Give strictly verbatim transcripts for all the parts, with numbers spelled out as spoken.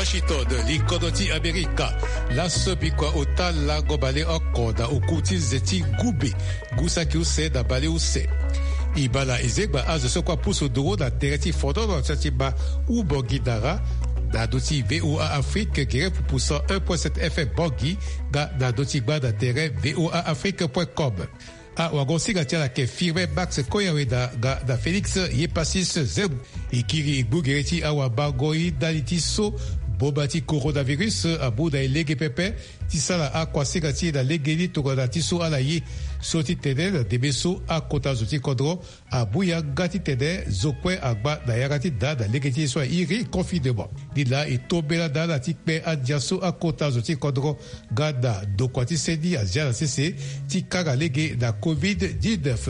Washington, li kodro ti Amerika. Laso bikua ota lango baleoko na oku ti nze ti gumbe, ngu saki use na baleuse. E baa na e zegba azo so kue apusu nduru na tere ti fonono ti ati ma u Bangui Dara, na ndö ti VOA Afrique, gere pupu cent un point sept F M Bangui, nga na ndö ti gba na tere VOA Afrique point com. Awagosinga ti ala ayeke Firmin Max Koyaweda nga na Félix Yepasis Zem. E kiri e gbu gere ti awamango-i ndali ti so boma ti coronavirus amu na e lege pepe ti sara akuasinga ti e na legeni tongana ti so ala ye. So ti tene na ndeme so akota zo ti kodro amu yanga ti tene zo kue agba na yanga ti da na lege ti ye so a iri confinement. Ni laa e tombela na ala ti kpe andia so akota zo ti kodro nga na ndokua ti seni azia na sese ti kanga lege na covid dix-neuf.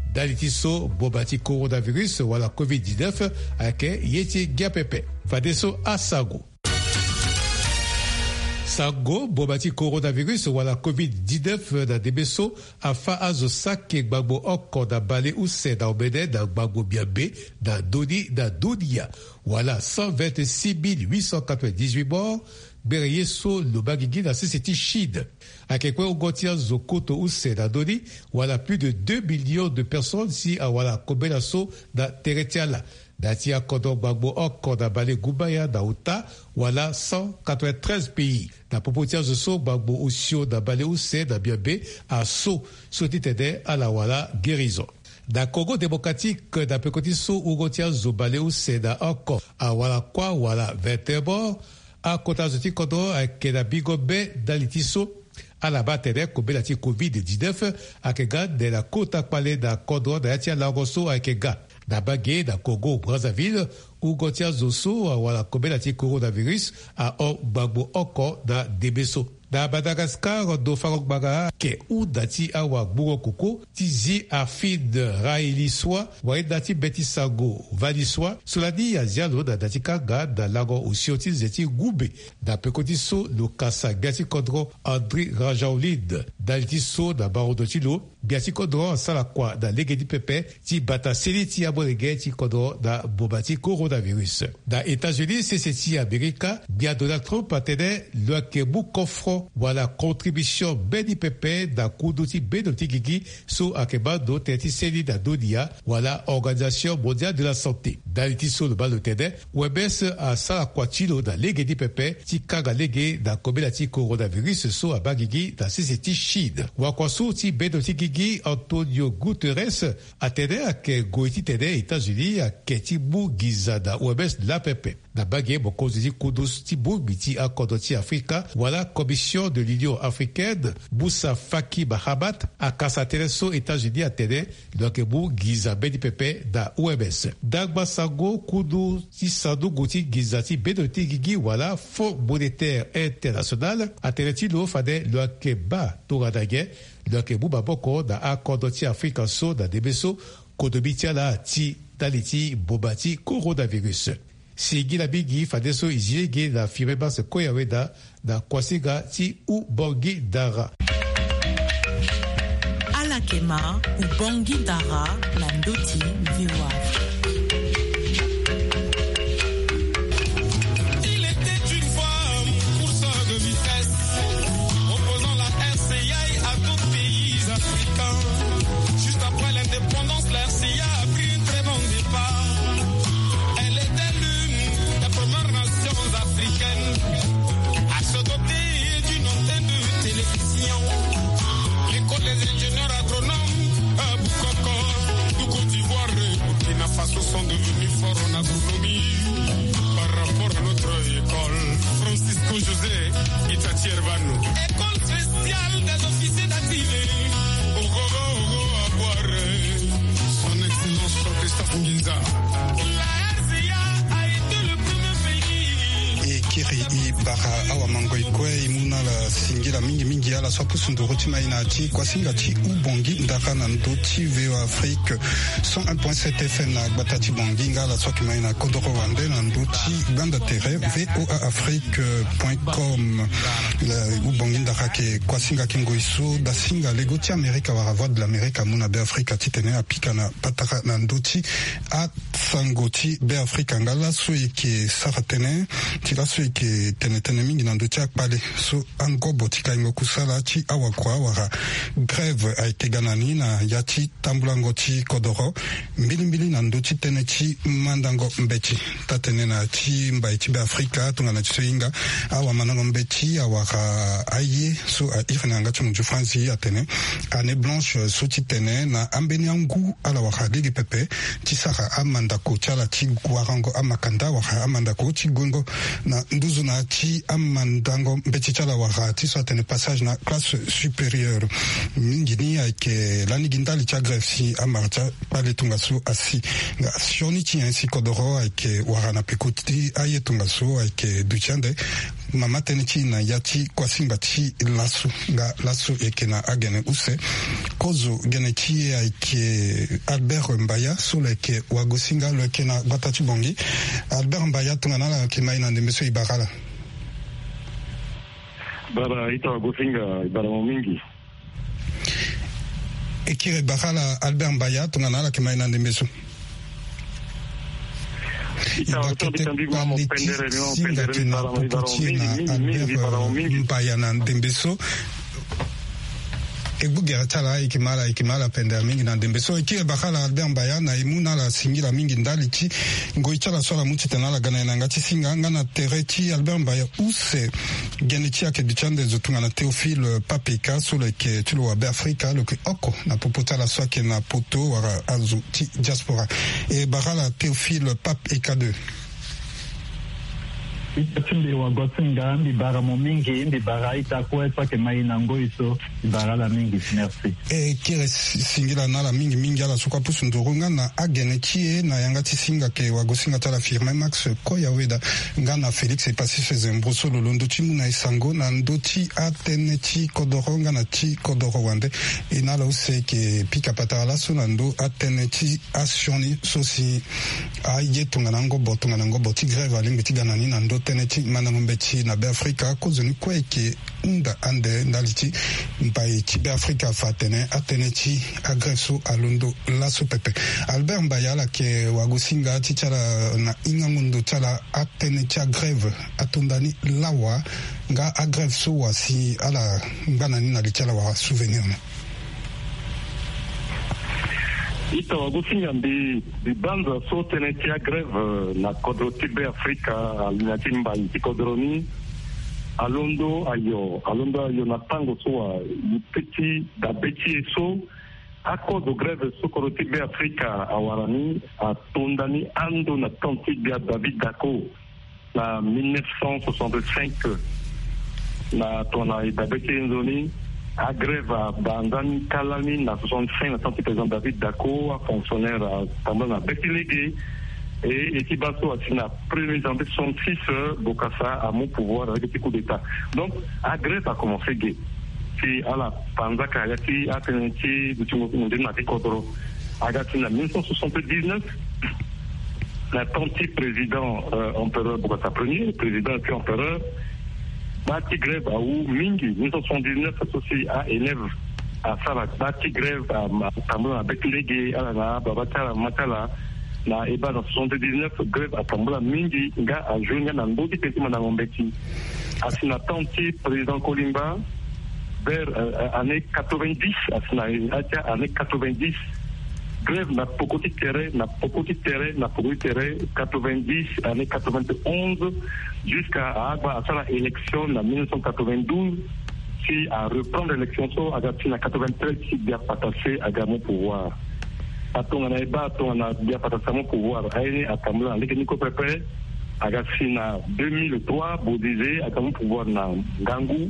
Ndali ti so boma ti coronavirus wala covid dix-neuf ayeke ye ti ngia pepe. Fadeso asango. Sango, boma ti coronavirus wala covid dix-neuf na ndeme so afâ azo saki gbangbo oko na baleuse na omene na gbangbo miambe na ndö ni na dunia. Wala cent vingt-six mille huit cent quatre-vingt-dix-huit morts. Gbere ye so lo baa gigi na sese ti Chine. Ayeke kue wungo ti azo koto use na ndö ni, wala plus de deux millions de personnes si awara kobela so na tere ti ala. Na ya ti akodro gbangbo oko na balegumbaya na ota, wala cent quatre-vingt-treize pays. Na popo ti azo so gbangbo osio na baleuse na miambe aso, so ti tene ala wara guérison. Na Congo Démocratique, na peko ti so wungo ti azo baleuse na oko awara kuâ wala vingt et un morts. Akota zo ti kodro ayeke na bingo be ndali ti so ala baa atene kobela ti covid dix-neuf ayeke ga nde na kota kpale na kodro na ya ti alango so ayeke ga. Na mbage na Congo Brazzaville, wungo ti azo so awara kobela ti coronavirus ahon gbangbo oko na ndeme so. Na Madagascar, ndo fango ngbanga ayeke hunda ti awagbungo koko ti zi Afid Raili Soa, wayenda ti be ti sango Vali Soa, so lani azia lo na da ti kanga na lango osio ti nze ti gumbe. Na peko ti so lo kasa gbia ti kodro Andry Rajoelina, ndali ti so na marondo ti lo, gbia ti kodro asara kua na lege ni pepe ti bata seni ti amolenge ti kodro na boma ti coronavirus. Na États-Unis, sese ti Amerika, gbia Donald Trump atene lo yeke mu kofro wala contribution mbeni pepe na kundu ti bendo ti gigi so ayeke baa ndo tënë ti seni na dunia, wala Organisation Mondiale de la Santé. Ndali ti so lo baa lo tene, O M S asara kua ti lo na lege ni pepe ti kanga lege na kobela ti coronavirus so abaa gigi na sese ti Chine. Wakua so ti bendo ti gigi Antonio Guterres atene ayeke ngoi titene États-Unis ayeke ti mu nginza na O M S laa pepe. Na mbage, mokonzi ti kundu ti bongbi ti akodro ti Afrika wala Commission de l'Union Africaine, Moussa Faki Mahamat, akasa tënë so États-Unis atene lo yeke mu nginza mbeni pepe na O M S. Ndangba sango kundu ti sanduku ti nginza ti bendo ti gigi wala Fonds Monétaire International atene ti lo fade lo yeke baa tongana nyen lo yeke mu maboko na akodro ti Afrika so na ndembe so kodomi ti ala ti ndali ti mboma ti coronavirus. Singila mingi fadeso e zi lege na Firmin Max Koyaweda na kuasinga ti Ubongi Dara. Ala yeke ma Ubongi Dara na ndö ti V O A. Il était une fois un coureur de vitesse, opposant la R C I à d'autres pays africains. Juste après l'indépendance, la R C I a pris un très bon départ. Elle était l'une des premières nations africaines à se doter d'une antenne de télévision. L'école des ingénieurs agronomes à Bukoko, du Côte d'Ivoire, Burkina Faso sont devenus forts en agronomie par rapport à notre école. Francisco José Itatier Vano. École spéciale des officiers d'activité. Ogogo, ogo, abuare. Son Excellence Professeur Nginza. La R C A a été le premier pays. E kiri e bara awamangoi kue, e mu na ala singila mingi mingi ala so apusu nduru ti mai na ti kuasinga ti Ubongi Ndara na ndö ti V O A Afrique cent un point sept F M na gbata ti Bangui nga ala so ayeke mai na kodoro wande na ndö ti gbanda tere V O A Afrique point com. Ubongi Ndara ayeke kuasinga ti ngoi so dasinga lego ti Amerika wala Voix de l'Amérique amu na Beafrika titene apika na patara na ndö ti asango ti Beafrika. Nga laso e yeke sara tënë ti laso e Ayeke tene tënë mingi na ndö ti akpale so angobo ti kaingo kusala ti awakua wala grève ayeke ga na ni na ya ti tambulango ti kodoro. Mbilimbili na ndö ti tënë ti mandango mbeti, taa-tënë na ti mbai ti Beafrika tongana ti so e hinga awamandango mbeti awara aye so airi na yanga ti munzu Franzi atene année blanche so ti tene na ambeni angu ala wara lege pepe ti sara amandako ti ala ti warango amakanda wala amandako ti guengo na nduzu na ti amandango mbeti ti ala wala ti so atene passage na classe supérieure. Mingi ni ayeke lani gi ndali ti agrève si amara ti akpale tongaso asi. Nga sioni ti nyen si kodoro ayeke wara na peko ti aye tongaso ayeke duti ande. Mama tënë ti e na ya ti kuasinga ti laso nga laso e yeke na agene use. Kozo gene ti e ayeke Albert Mbaya so lo yeke wagosinga lo yeke na gbata ti Bangui. Albert Mbaya, tongana ala yeke ma e na ndembe so e bara ala. Bara ita wagosinga e bara mo mingi. E kiri e bara ala Albert Mbaya tongana ala yeke ma e na ndembe so. E bake te kpale ti singa ti na Albert Mbaya na ndembe so. E gbu gere ti ala, e yeke ma ala, e yeke ma ala pendere mingi na ndembe so. E kiri e bara ala Albert Mbaya na e mu na ala singila mingi ndali ti ngoi ti ala so ala mu titene ala ga na e na yanga ti singa nga na tere ti Albert Mbaya use. Gene ti e ayeke duti ande zo tongana Théophile Pape Eka so lo yeke ti lo wa Beafrika, lo yeke oko na popo ti ala so ayeke na poto wala azo ti diaspora. E bara ala Théophile Pape Eka deux. Ita ti mbi wagosinga, mbi bara mo mingi, mbi bara ita kue so ayeke ma e na ngoi so, mbi bara ala mingi. Merci. E kiri si-, singila na ala mingi mingi ala so kue apusu nduru nga na agene ti e na yanga ti singa ayeke wagosinga ti ala Firmin Max Koyaweda nga na Félix Epassis Sezembro so lo londo ti mu na e sango na ndö ti atënë ti kodoro nga na ti kodoro wande. E na ala use e yeke pika patara laso na ndö atënë ti asioni so si aye tongana ngobo tongana ngobo ti grève alingbi ti ga na ni na ndö tënë ti mandango mbeti na Beafrika. Kozoni kue e yeke hunda ande ndali ti mbai ti Beafrika afa atene atënë ti agrève so alondo laso pepe. Albert Mbaya, ala yeke wagosinga ti ti ala na hingango ndo ti ala, atënë ti agrève ato nda ni lawa nga agrève so wa si ala ngba na ni na li ti ala wala souvenir ni? Ita wagosinga, mbi, mbi banza so tënë ti agrève na kodro ti Beafrika, ali na ti mbai ti kodro ni, alondo ayo, alondo ayo na tango so wa e peti dabe ti e so. Akozo grève so kodro ti Beafrika awara ni ato nda ni ando na temps ti gbia David Dacko na mille neuf cent soixante-cinq. Na tongana e dabe ti e nzoni, agrève abaa nzani kâ lani na soixante-cinq na temps ti président David Dacko, afonctionnaire atambula na be ti lege. E, e ti baa so asi na premier janvier soixante-six, euh, Bokassa amu pouvoir avec ti coup d'état. Donc agrève akomense ge. Si ala panzaka ya ti atënë ti dutingo nzoni na ti kodro, aga si na mille neuf cent soixante-dix-neuf, na temps ti président, euh, empereur Bokassa premier, président et puis empereur, baa ti grève awu mingi. Mille neuf cent soixante-dix-neuf so si a élève asara baa ti grève, a, atambula na be ti lege, ala na ababa ti ala, mama ti ala. Na e baa na soixante-dix-neuf, grève atambula mingi nga ajour nga na ndö ti tënë ti mandango mbeti. Asi na temps ti président Kolimba, vers, euh, année quatre-vingt-dix, asi na ya ti année quatre-vingt-dix, grève na poko ti tere, na poko ti tere, na poko ti tere, quatre-vingt-dix, année quatre-vingt-onze, jusqu'à agba asara élection na mille neuf cent quatre-vingt-douze, si areprendre élection so, aga si na quatre-vingt-treize si Gbia Patassé aga mu pouvoir. Atongana e baa tongana Gbia Patassé amu pouvoir, aye ni atambula na lege ni kue pepe. Aga si na deux mille trois, Bozizé aga mu pouvoir na ngangu.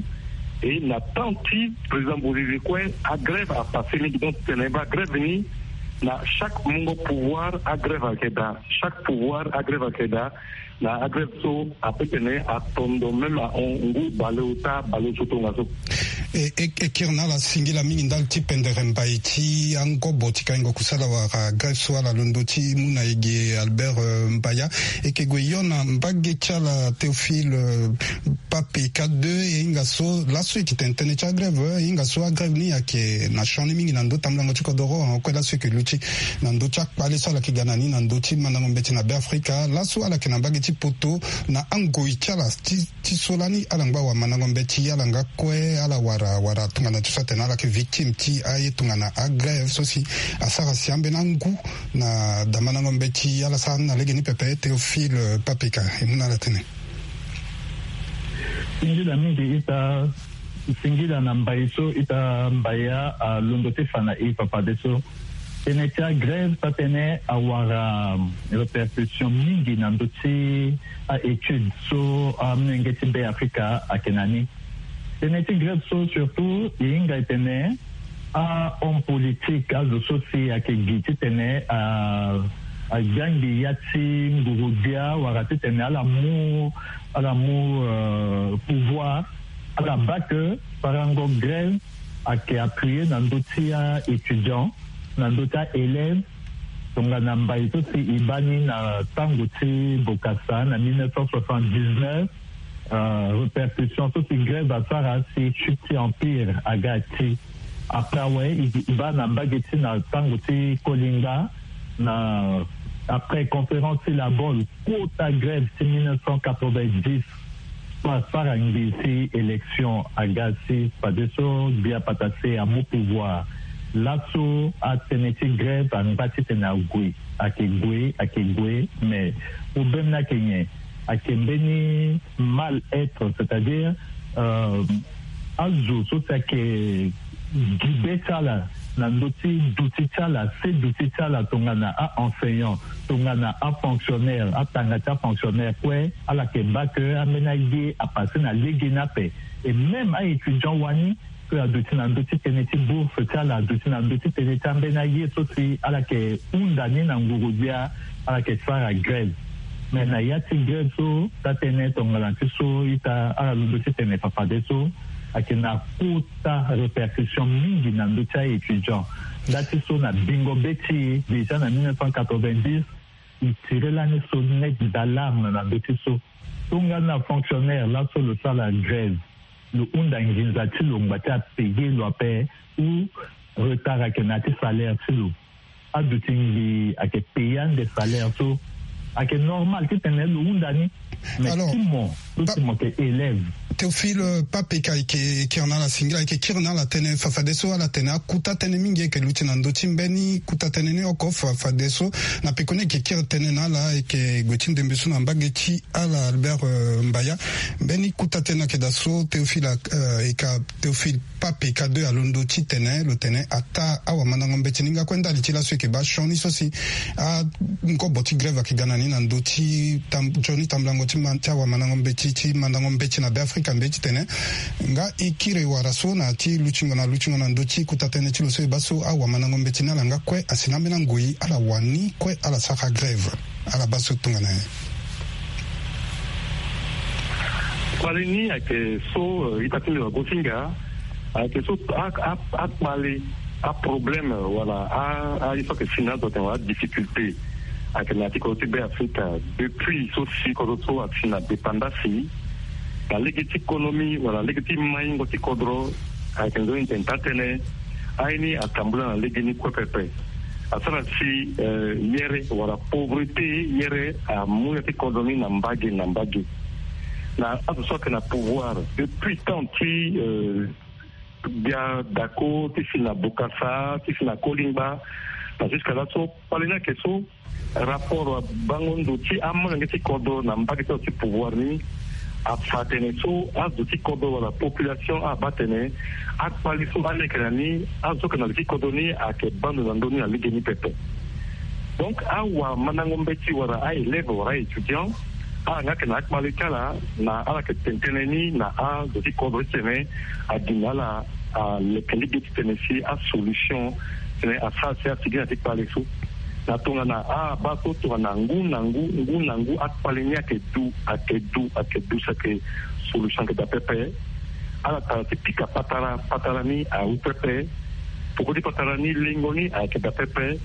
Et na temps ti président Bozizé kue, agrève apassé mingi. Donc tene e baa grève ni, na chaque mungo pouvoir agrève ayeke daa, chaque pouvoir agrève ayeke daa. Na agrève so ape tene atondo même ahon ngu baleota baleoso tongaso. E, e, e kiri na ala singila mingi ndali ti pendere mbai ti angobo ti kaingo kusala wala grève so ala londo ti mu na e ge, Albert, euh, Mbaya. E yeke gue hio na mbage ti ala Théophile, euh, Pape K deux, e hinga so laso e yeke tene tënë ti agrève, e hinga so agrève ni ayeke na sioni mingi na ndö tambulango ti kodoro, ahon kue laso e yeke luti na ndö ti akpale so ala yeke ga na ni na ndö ti mandango mbeti na Beafrika. Laso ala yeke na mbage ti poto na angoi ti ala ti, ti so lani ala ngba wamandango mbeti, ala nga kue ala wara, wara tongana ti so atene ala yeke victime ti aye tongana agrève so si asara si ambeni angu na damandango mbeti, ala sara ni na lege ni pepe. Théophile Pape K, e mu na ala tënë. Singila mingi ita, singila na mbai so ita mbaya alondo ti fa na e fafadeso. Tënë ti agrève so atene awara répercussion mingi na ndö ti a-étude so amolenge ti Beafrika ayeke na ni. Tënë ti grève so surtout e hinga e tene ahomme politique, azo so si ayeke gi titene a, agiangi ya ti ngurugbia wala titene ala mu, ala mu euh, pouvoir, ala baa ke farango grève ayeke appuyer na ndö ti a-étudiant, na ndö ti a-élève, tongana mbai so si e baa ni na tango ti Bokassa na mille neuf cent soixante-dix-neuf. Euh, répercussion so si grève asara si chute ti empire aga ti. Après awe e baa na mbage ti na tango ti Kolingba, na après conférence ti Labol, kota grève ti mille neuf cent quatre-vingt-dix, so asara ngbii si élection aga si fadeso gbia patase amu pouvoir. Laso atënë ti grève angba titene ague, ayeke gue, ayeke gue, mais problème ni ayeke nyen? Ayeke mbeni mal-être, c'est-à-dire euh, azo so si ayeke gi be ti ala na ndö ti duti ti ala, se duti ti ala tongana a-enseignant, tongana a-fonctionnaire, atanga ti a-fonctionnaire kue, ala yeke baa ke ambeni aye apasse na lege ni ape. Et même a-étudiant wani, so aduti na ndö ti tënë ti bourse ti ala, aduti na ndö ti tënë ti ambeni aye so si ala yeke hunda ni na nguru-gbia, ala yeke sara grève. Mais na ya ti grève so, taa tënë tongana ti so ita ala londo ti tene fafadeso, ayeke na kota répercussion mingi na ndö ti a-étudiant. Nda ti so na bingo be ti e, déjà na mille neuf cent quatre-vingt-dix, e tire lani sonnette d'alarme na ndö ti so. Tongana fonctionnaire laso lo sara grève, lo hunda nginza ti lo ngba ti apayer lo ape, ou retard ayeke na ya ti salaire ti lo. Aduti ngbii ayeke payer ande salaire so. Ayeke normal titene lo hunda ni. Mais alors, ti mo, so ti mo yeke élève. Théophile, euh, Pape K ayeke kiri na ala singila, ayeke kiri na ala tënë fafadeso, ala tene akuta tënë mingi ayeke luti na ndö ti mbeni kuta tënë ni oko fafadeso. Na pekoni ayeke kiri tënë na ala, ayeke gue ti ndembe so na mbage ti ala Albert, euh, Mbaya. Mbeni kuta tënë ayeke daa so Théophile, euh, e ka Théophile Pape K deux alondo ti tene, lo tene ataa awamandango mbeti ni nga kue ndali ti laso e yeke baa sioni so si angobo ti grève ayeke ga na ni na ndö ti tam-, sioni tambulango ti ma-, ti awamandango mbeti, ti mandango mbeti na Beafrika, mbeti tene nga e kiri wara so na ya ti lutingo na lutingo na ndö ti kuta tënë ti lo so e baa so awamandango mbeti ni ala nga kue asi na ambeni angoi ala wani kue ala sara grève. Ala baa so tongana nyen? Kpale ni ayeke so, euh, ita ti mbi wagosinga, ayeke so a, a, akpale, aproblème, wala a, a, ye so ayeke si na azo atene wala adifficulté ayeke na ya ti kodro ti Beafrika. Depuis so si kodro so asi na dépendance, na lege ti économie wala lege ti maingo ti kodro, ayeke nzoni tene taa tënë, aye ni atambula na lege ni kue pepe. Asara si, euh, yere wala pauvreté yere amu ya ti kodro ni na mbage na mbage. Na azo so ayeke na pouvoir depuis temps ti, euh, gbia Dako, ti si na Bokassa, ti si na Kolingba, na jusqu'à là so kpale ni ayeke so rapport wa bango ndo ti amolenge ti kodro na mbage ti azo ti pouvoir ni afa atene so azo ti kodro wala population abaa atene akpale so aleke na ni, azo so ayeke na li ti kodro ni ayeke baa ndo na ndö ni na lege ni pepe. Donc awamandango mbeti wala a-élève wala a-étudiant, ala nga ayeke na akpale ti ala, na ala yeke tene tënë ni na azo ti kodro titene agi na ala aleke lege titene si asolution titene asara si asigi na ti kpale so. Na tongana abaa so tongana ngu na ngu, ngu na ngu akpale ni ayeke du, ayeke du, ayeke du si ayeke solution ayeke daa pepe. Ala tara ti pika patara, patara ni awu pepe. Poko ti patara ni lengo ni ayeke daa pepe.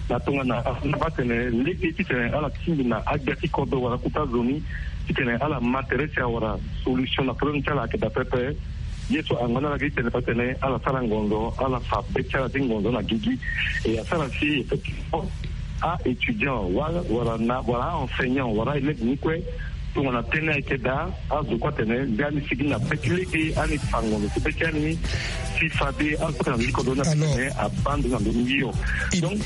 Na tongana afa na baa tene lege titene ala tingbi na agbia ti kodro wala kuta zo ni titene ala ma tere si awara solution na problème ti ala ayeke daa pepe. Ye so angba na ala gi tene fa tene ala sara ngonzo, ala fa be ti ala ti ngonzo na gigi. E asara si effectivement a-étudiant wala wala na wala a-enseignant wala a-élève ni kue tongana tënë ayeke daa, azo kue atene nde ani sigi na be ti lege ani fa ngonzo ti be ti ani. Si fade azo kue na ndiko ndo ni atene abaa ndo na ndo ni hio. Donc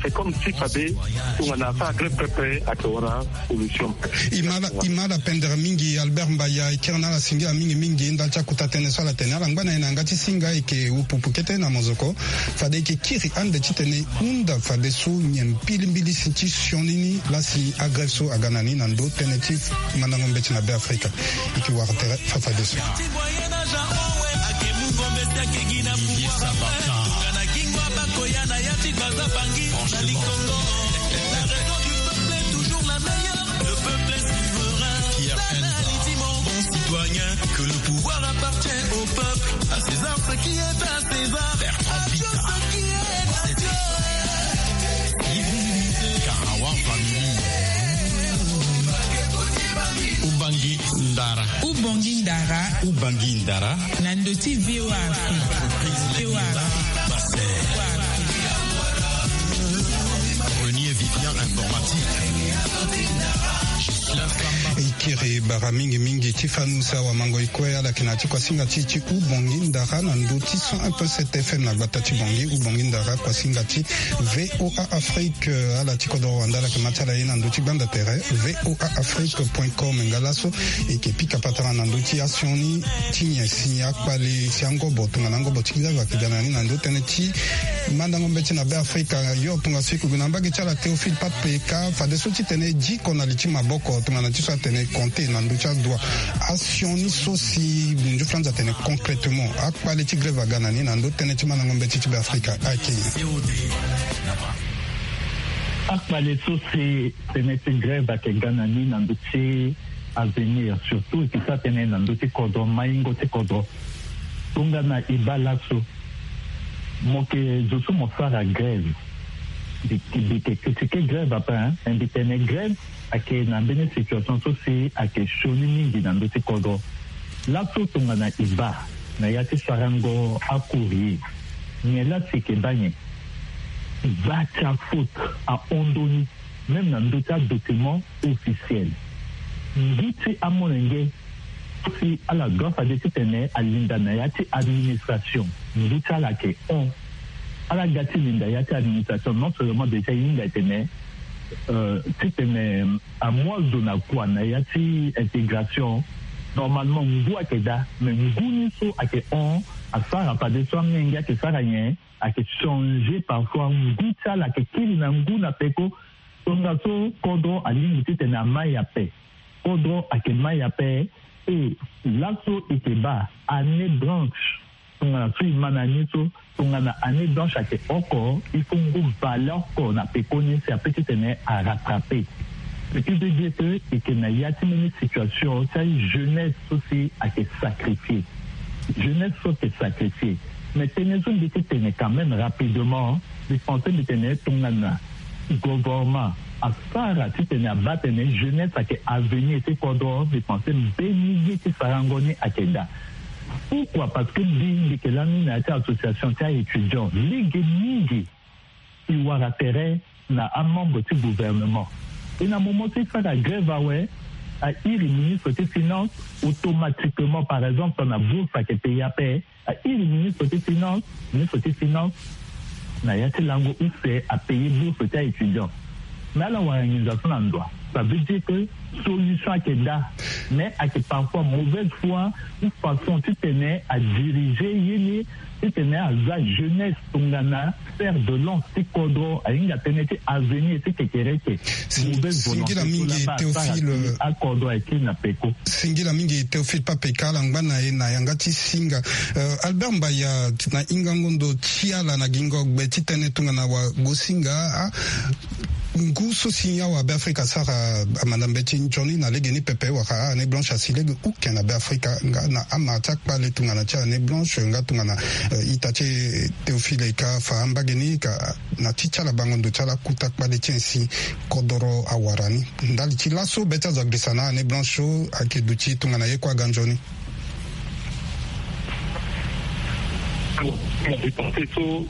c'est comme si fade tongana asara grève pepe ayeke wara solution. I ma ala pendere mingi Albert Mbaya, e kiri na ala singila mingi mingi ndali ti akuta tënë so ala tene. Ala ngba na e na yanga ti singa e yeke upupu kete na mozoko. Fade e yeke kiri ande titene e hunda fadeso nyen mbilimbili si ti sioni ni laa si agrève so aga na ni na ndo tënë ti mandango mbeti na Beafrika. E yeke wara tere fafadeso. Pierre Enza. Bon citoyen, que le pouvoir appartient au peuple, à César ce qui est à César. Bertrand Pita. Karawa Family. Ubangi Ndara. Ubongi Ndara. Ubangi Ndara. Na ndo ti V O A Afrique. V O A Afrique. Renier Vivian informatique. E kiri bara mingi mingi ti fanu si awamango e kue ala yeke na ya ti kuasinga ti e ti Ubongi Ndara na ndo ti cent un point sept F M na gbata ti Bangui. Ubongi Ndara kuasinga ti V O A Afrique. Ala ti kodro wanda ala yeke ma ti ala ye na ndo ti gbanda tere V O A Afrique point com. Nga laso e yeke pika patara na ndo ti asioni ti nyen si akpale si angobo tongana angobo ti grève ayeke ga na ni na ndo tënë ti mandango mbeti na Beafrika. Yo tongaso e yeke gue na mbage ti ala Théophile Pape ka fadeso titene e diko na li ti maboko tongana ti so atene compter na ndö ti adoit. Asioni so si nzuflanza atene concrètement akpale ti grève aga na ni na ndö tënë ti mandango mbeti ti Beafrika ayeke nyen? Akpale so si tënë ti grève ayeke ga na ni na ndö ti avenir, surtout e ke sara tënë na ndö ti kodro, maingo ti kodro. Tongana e baa laso, mo yeke zo so mo sara grève. Mbi, mbi yeke critiquer grève ape, hein, mais mbi tene grève ayeke na mbeni situation so si ayeke sioni mingi na ndö ti kodro. Laso tongana e baa na ya ti sarango acourrier, nyen laa si e yeke baa nyen? Gba ti afaute ahon ndoni, même na ndö ti adocument officiel. Ngu ti amolenge so si ala doit fade titene alinda na ya ti administration, ngu ti ala ayeke hon. Ala ga ti linda ya ti administration, non seulement déjà e hinga e tene, euh, titene amu azo na kua na ya ti intégration, normalement ngu ayeke daa, mais ngu ni so ayeke hon asara fadeso amenge ayeke sara nyen? Ayeke changer parfois ngu ti ala ayeke kiri na ngu na peko. Tongaso kodro alingbi titene amai ape. Kodro ayeke mai ape. E laso e yeke baa année blanche. Tongana so e ma na ni so, tongana année blanche ayeke oko, il faut ngu bale oko na peko ni si ape titene arattraper. Ce qui veut dire que e yeke na ya ti mbeni situation ti ajeunesse so si ayeke sacrifier. Jeunesse so ayeke sacrifier. Mais tënë so mbi ti tene quand même rapidement, mbi pense mbi tene tongana gouvernement asara titene abaa tene jeunesse ayeke avenir ti kodro, mbi pense mbeni ye ti sarango ni ayeke daa. Pourquoi? Parce que mbi, mbi yeke lani na ya ti association ti a-étudiant, lege mingi e wara tere na amembre ti gouvernement. E na moment ti sara grève awe, a iri ministre ti finance, automatiquement, par exemple, tongana bourse ayeke paye ape, a iri ministre ti finance, ministre ti finance na ya ti lango use apaye bourse ti a-étudiant. Mais ala wara nginza so na ndo. Ça veut dire que solution ayeke daa, mais ayeke parfois mauvaise foi ou façon titene adirige ye ni, titene aza jeunesse tongana fer de lance ti kodro, ahinga tënë ti avenir ti kekereke. Mauvaise volonté. Singila mingi Théophile, akodro ayeke na peko. Singila mingi Théophile Pape ka ala ngba na e na yanga ti singa. Euh, Albert Mbaya, na hingango ndo ti ala na gingo gbe ti tënë tongana wagosinga, ah, Ngu so si awa Beafrika asara amanda mbeti nzoni na legeni pepe wala a-année blanche asi lege uke na Beafrika nga na amara ti akpale tongana ti a-année blanche nga tongana ita ti e Théophile ka fa ambage ni ka na ti ti ala bango ndo ti ala kota kpale ti e si kodoro awara ni. Ndali ti laso be ti azo agirisa na a-année blanche so ayeke duti tongana ye kue aga nzoni. Dépenser so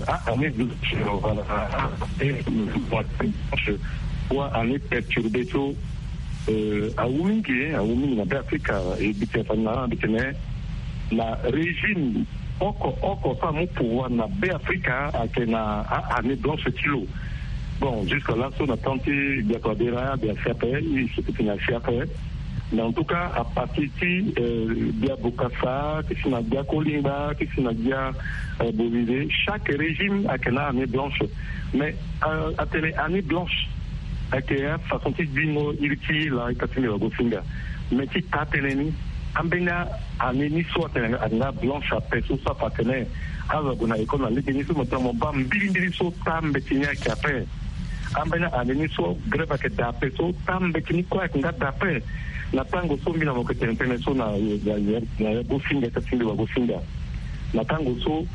a-année blanche wala a-année perturbée so awu mingi, awu mingi na Beafrika. E bi tene fa na bi tene na régime oko oko so amu pouvoir na Beafrika ayeke na a-année blanche ti lo. Bon, jusqu'à là so na temps ti Gbia Touadéra, Gbia si ape, i so ti tene asi ape. Mais en tout cas à partir ti Gbia Bokassa ti si na Gbia Kolingba ti si na Gbia Bolide, chaque régime ayeke na a-année blanche. Mais atene année blanche ayeke afaçon ti gbingo iri ti ye laa ita ti mbi wagosinga. Mais ti taa tënë ni, ambeni a-année ni so atene ayeke nga blanche ape so so afa atene azo ague na école na legeni so mo tene mo baa mbilimbili so taa mbeti ni ayeke ape. Ambeni a-année ni so grève ayeke daa ape so taa mbeti ni kue ayeke nga daa ape. Na tango so mbi na mo yeke tene tënë so na yagosinga ita ti mbi wagosinga. Na tango so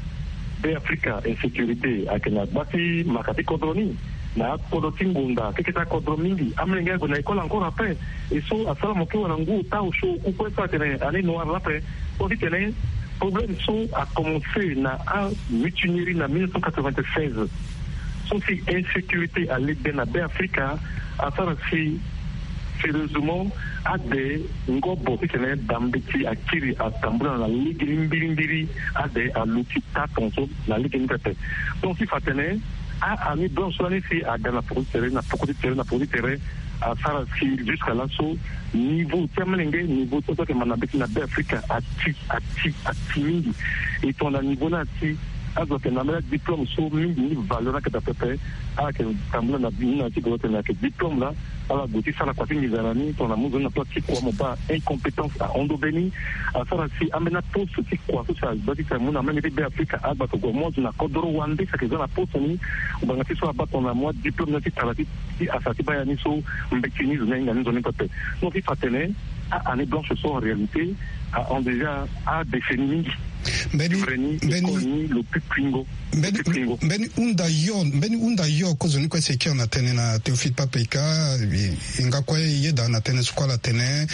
Beafrika insécurité ayeke na gba ti maka ti kodro ni. Na akodro ti ngonda keke ti akodro mingi amolenge ague na école encore ape. E so asara mo kue wala ngu ota osio oku kue so atene année noire laa ape. Kue titene problème so akomense na amutinerie na mille neuf cent quatre-vingt-seize. So si insécurité alekbe na Beafrika asara si sérieusement ade ngobo titene dambeti akiri atambula na legeni mbirimbiri. Ade aluti taa tongaso na legeni pepe. Donc si fa atene a-année blanche so lani si aga na poko ti tere na poko ti tere na poko ti tere asara si jusqu'à là so niveau ti amolenge niveau ti so ayeke manda mbeti na Beafrika ati ati ati mingi. E tongana niveau ni ati azo ayeke na ambeni adiplôme so mingi ni valeur ni ayeke daa pepe. Ala yeke tambula na ni na ti goro tene ayeke diplôme laa. Ala gue ti sara kua ti nginza na ni tongana mu nzoni na place ti kua mo baa incompétence ahon ndobe ni. Asara si ambeni aposte ti kua so si agba ti tene amu na amolenge ti Beafrika agba tongana mo azo na kodoro wande si ayeke za na poste ni. Ngbanga ti so abaa tongana mo adiplôme ni ti tara ti ti asa ti baa ya ni so mbeti ni zo ni ahinga ni nzoni pepe. Donc ti fa atene a-année blanche so en réalité ahon déjà adécennie mingi. Mbeni mbeni école ni lo pi kuingo. Mbeni hunda yo mbeni hunda yo kozoni kue si e kiri na tënë na Théophile Pape-Ika. E nga kue e yeda na tënë so kue ala tene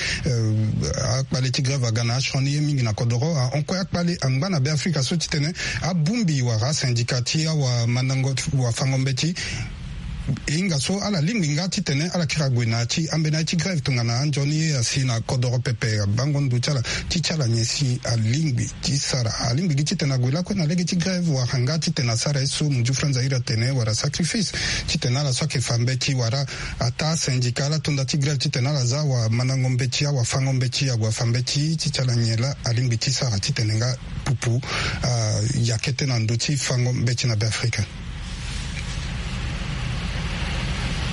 akpale ti grève aga na asioni ye mingi na kodoro ahon kue akpale angba na Beafrika so titene abongbi wala asyndicat ti awamandango wafango mbeti. E hinga so ala lingbi nga titene ala kiri ague na ya ti ambeni aye ti grève tongana anzoni ye asi na kodoro pepe abango ndo ti ala ti ti ala nyen si alingbi ti sara alingbi gi titene ague lakue na lege ti grève wala nga titene asara ye so muju franza iri atene wala sacrifice titene ala so ayeke fa mbeti wala ataa syndicat ala to nda ti grève titene ala za awamandango mbeti awafango mbeti ague afa mbeti ti ti ala nyen laa alingbi ti sara titene nga pupu aya kete na ndö ti fango mbeti na Beafrika.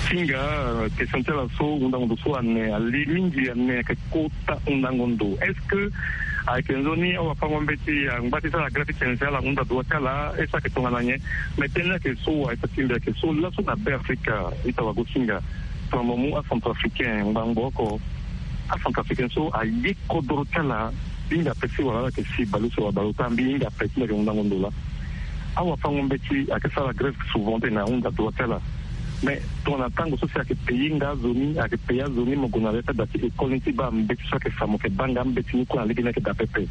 Ti hinga question ti ala so hundango ndo so ane ali mingi ane ayeke kota hundango ndo est-ce que ayeke nzoni awafango mbeti angba ti sara grève ti tene si ala hunda droit ti ala est-ce que ayeke tongana nyen? Mais tënë ni ayeke so wa ita ti mbi ayeke so laso na Beafrika ita wagosinga. Tongana mo mu acentrafricain ngbangbo oko acentrafricain so aye kodoro ti ala. Mbi hinga ape si wala ala yeke si baleuse wala baleota mbi hinga ape ti mbi ayeke hundango ndo laa. Awafango mbeti ayeke sara grève souvent tene ahunda droit ti ala. Mais tongana tango so si ayeke payé nga azo ni ayeke payé azo ni mo gue na ya ti ada ti école ni ti baa mbeti so ayeke fa mo yeke baa nga mbeti ni kue na lege ni ayeke daa pepe.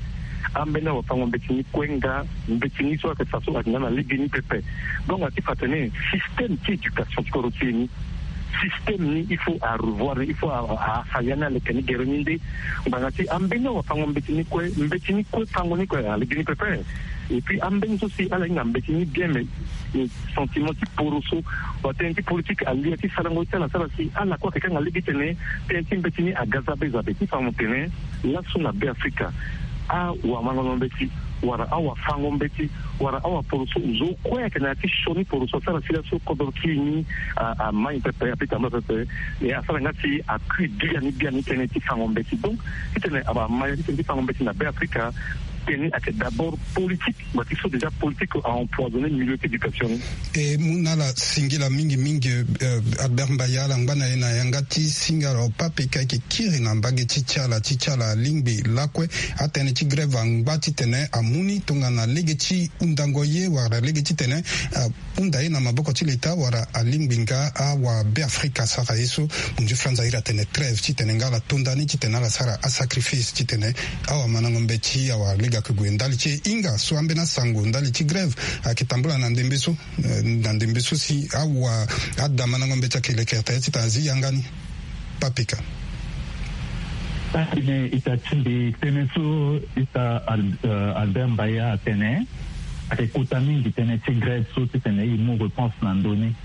Ambeni awafango mbeti ni kue nga mbeti ni so ayeke fa so ayeke nga na lege ni pepe. Donc ati fa atene système ti éducation ti kodro ti e ni système ni il faut arevoir ni il faut afa ya ni aleke ni gere ni nde. Ngbanga ti ambeni awafango mbeti ni kue mbeti ni kue fango ni kue alege ni pepe. Et puis ambeni so si ala hinga mbeti ni bien mais sentiment ti poro so wala tënë ti politique alia ti sarango ti ala asara si ala kue ayeke kanga lege titene tënë ti mbeti ni aga zabe zabe ti fa mo tene laso na Beafrika awamandango mbeti wala awafango mbeti wala awaporoso zo kue ayeke na ya ti sioni poroso asara si laso kodoro ti e ni amai pepe ape tambula pepe. E asara nga si akui biani biani tënë ti fango mbeti donc titene amai ya ti tënë ti fango mbeti na Beafrika. tene ayeke d'abord politique, ma ti so déjà politique a empoisonné milieu ti éducation ni. E mu na ala singila mingi mingi, eh, Albert Mbaya, ala ngba na e na yanga ti singa. Alors Pape Ka, e yeke kiri na mbage ti ti ala, ti ti ala alingbi lakue atënë ti grève angba titene amu ni tongana lege ti hundango ye wala lege titene, ah, hunda ye na maboko ti leta wala alingbi nga awabeafrika asara ye so. Munzu franza iri atene trêve titene nga ala tonda ni titene ala sara asacrifice titene awamandango mbeti awalege ayeke gue ndali ti e. Hinga so ambeni asango ndali ti grève ayeke tambula na ndembe so, eh, na ndembe so si awa adamandango mbeti ayeke lekere tere titene azi yanga ni. Pape Ka. Atene ita ti mbi tënë so ita Al-, euh, Albert Mbaya atene ayeke kota mingi tënë ti grève so titene e mu réponse na ndö ni.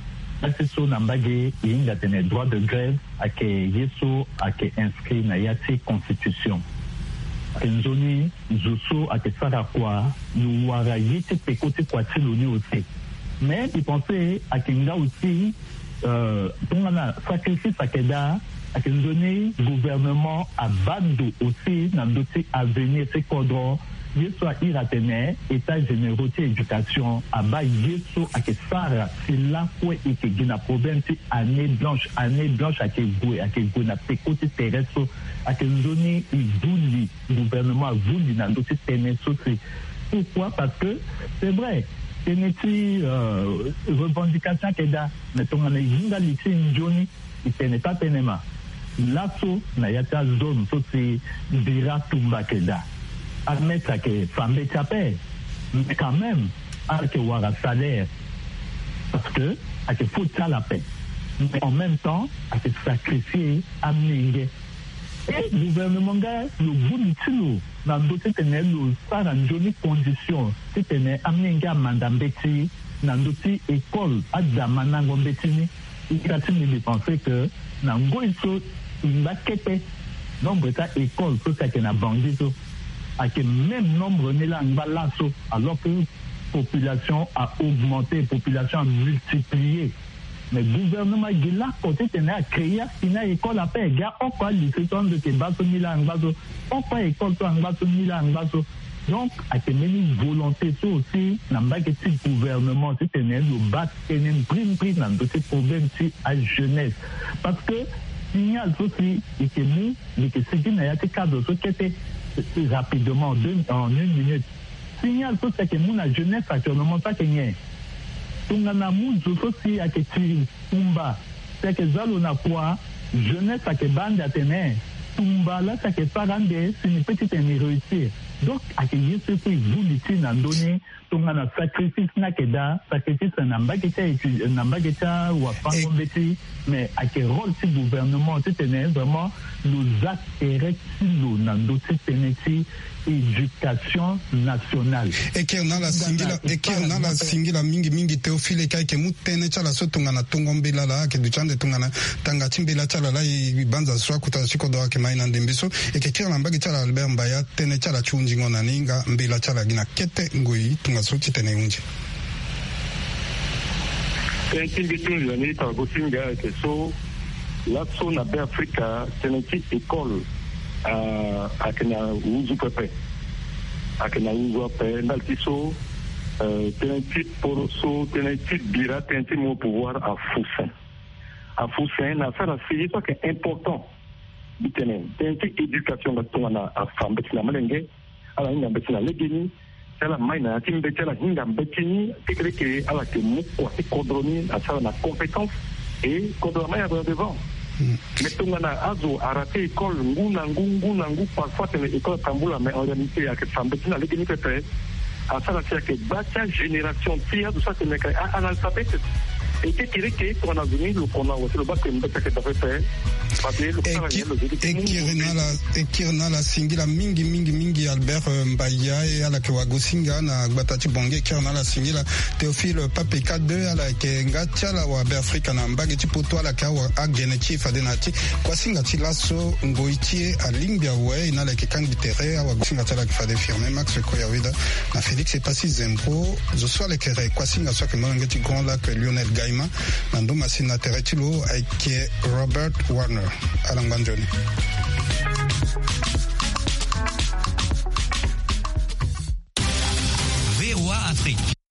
Asi so na mbage e hinga atene droit de grève ayeke ye so ayeke inscrit na ya ti constitution. Ayeke nzoni zo so ayeke sara kua, lo wara ye ti peko ti kua ti lo ni aussi. Mais mbi pense ayeke nga aussi, euh, tongana sacrifice ayeke daa, ayeke nzoni gouvernement abaa ndo aussi na ndö ti avenir ti kodro. Ye so a iri atene état généraux ti éducation abaa ye so ayeke sara si lakue e yeke gi na problème ti année blanche. Année blanche ayeke gue, ayeke gue na peko ti tere so. Ayeke nzoni e vuli, gouvernement avuli na ndö ti tënë so si. Pourquoi? Parce que c'est vrai, tënë ti, euh, revendication ayeke daa, mais tongana e hinga li ti nzoni, e tene taa tënë ma laso na ya ti azone so si bira tumba ayeke daa, amaître ayeke fa mbeti ape, mais quand même ala yeke wara salaire, parce que ayeke faute ti ala ape. Mais en même temps ayeke sacrifier amenge. E gouvernement nga lo vuli ti lo na ndö titene lo sara nzoni condition titene amenge amanda mbeti na ndö ti école, adamandango mbeti ni. Ita ti mbi, mbi pense que na ngoi so e ngba kete, nombre ti a-école so si ayeke na Bangui so ayeke même nombre ni laa angba laso, alors que population a augmenté, population a multiplié. Mais gouvernement gi lako titene a créer asi ni a-école ape, gi a oko a-lycée so ando yeke baa so ni laa angba so, oko a-école so angba so ni laa angba so. Donc ayeke mbeni volonté so aussi na mbage ti gouvernement titene lo baa tënë mbrimbri na ndö ti problème ti ajeunesse. Parce que signal so si e yeke mu, e yeke sigi na ya ti cadre so kete, rapidement, deux, en une minute. Signal so si ayeke mu na jeunesse actuellement so ayeke nyen? Tongana mu zo so si ayeke tiri tumba, si ayeke za lo na kua, jeunesse ayeke baa ande atene tumba laa si ayeke sara ande si ni peut titene ni réussir. Donc ayeke ye so e peut e vuli ti na ndö ni. Tongana sacrifice ni ayeke daa, sacrifice na mbage ti a étude, na mbage ti awafango mbeti, mais ayeke rôle ti gouvernement titene vraiment lo za tere ti lo na ndö ti tënë ti éducation nationale. E kiri na ala singila, e kiri na ala singila mingi mingi Théophile, e ka e yeke mu tënë ti ala so tongana tongo mbela laa ayeke duti ande tongana tanga ti mbela ti ala laa e banza so akota ti kodro ayeke ma e na ndembe so. E yeke kiri na mbage ti ala Albert Mbaya, tënë ti ala ti hunzingo na ni nga mbela ti ala gi na kete ngoi tongaso titene e hunzi. Tënë ti mbi ti hunzi na ni tara gosinga ayeke so, laso na Beafrika tënë ti école, ah, ayeke na nduzu pepe. Ayeke na nduzu ape ndali ti so, eh, tënë ti poro so, tënë ti bira, tënë ti mu pouvoir afu sen. Afu sen na asara si ye so ayeke important. Mbi tene tënë ti éducation nga tongana afa mbeti na molenge, ala hinga mbeti na legeni, si ala mai na ya ti mbeti ala hinga mbeti ni, kekereke ala yeke mu kua ti kodro ni asara na compétence, et kodro amai ala gue na devant. Mais tongana azo arate école ngu na ngu, ngu na ngu, parfois atene école atambula, mais en réalité ayeke fa mbeti na legeni pepe. Asara si ayeke gba ti agénération ti azo so atene ayeke analphabète. E kekereke tongana zo ni lo kono awe si lo baa ke mbeti ayeke dape pepe. Parce que lo sara nyen lo zo ni. E kiri na ala, e kiri na ala singila mingi mingi mingi Albert, euh, Mbaya, e ala yeke wagosinga na gbata ti Bangui. E kiri na ala singila Théophile Pape Ka deux, ala yeke nga ti ala wa Beafrika na mbage ti poto, ala yeke awa agene ti e fade na ya ti kuasinga ti laso ngoi ti e alingbi awe. E na ala yeke kangbi tere, awagosinga ti ala yeke fade Firmin Max Koyaweda na Félix Epassi Zembro. Zo so ala yeke re kuasinga so ayeke molenge ti Grand Lac, Lionel Gaima. Na ndo masini na tere ti lo ayeke Robert Warner. Ala ngba nzoni. Afrique.